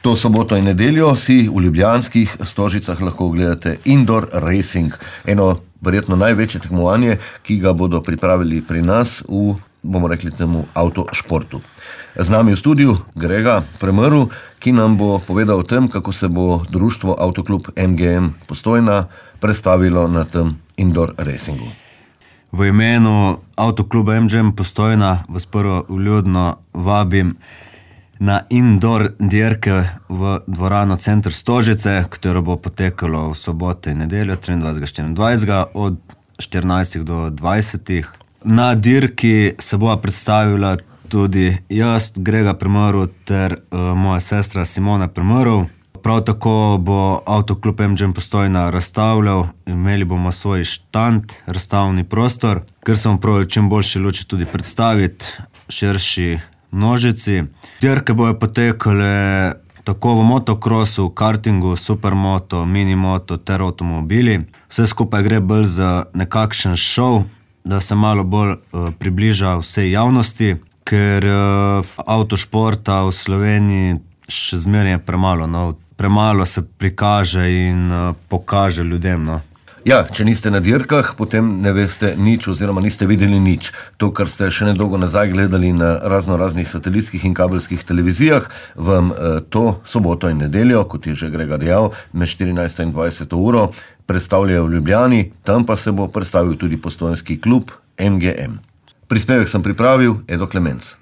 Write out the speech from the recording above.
To soboto in nedeljo si v ljubljanskih Stožicah lahko ogledate Indoor Racing, eno verjetno največje tekmovanje, ki ga bodo pripravili pri nas v, bomo rekli temu, avtošportu. Z nami v studiu Grega Premrl, ki nam bo povedal o tem, kako se bo društvo Avtoklub MGM Postojna predstavilo na tem Indoor Racingu. V imenu Avtokluba MGM Postojna vas prvo vljudno vabim na indoor dirke v dvorano Center Stožice, katero bo potekalo v soboto in nedeljo 23. 24. od 14. do 20. Na dirki se bo predstavila tudi jaz, Grega Premrl, ter moja sestra Simona Premrl. Prav tako bo Avtoklub MGM Postojna razstavljal, imeli bomo svoj štand, razstavni prostor, ker sem prav čim boljši luči tudi predstaviti širši množici. Dirke bojo potekale tako v motokrosu, kartingu, supermoto, minimoto ter avtomobili. Vse skupaj gre bolj za nekakšen šov, da se malo bolj približa vsej javnosti, ker avtošporta v Sloveniji še zmeraj je premalo. Premalo se prikaže in pokaže ljudem. Ja, če niste na dirkah, potem ne veste nič oziroma niste videli nič. To, kar ste še nedolgo nazaj gledali na raznih satelitskih in kabelskih televizijah, vam to soboto in nedeljo, kot je že Grega dejal, med 14. in 20. uro predstavljajo v Ljubljani, tam pa se bo predstavil tudi postojnski klub MGM. Prispevek sem pripravil, Edo Klemenc.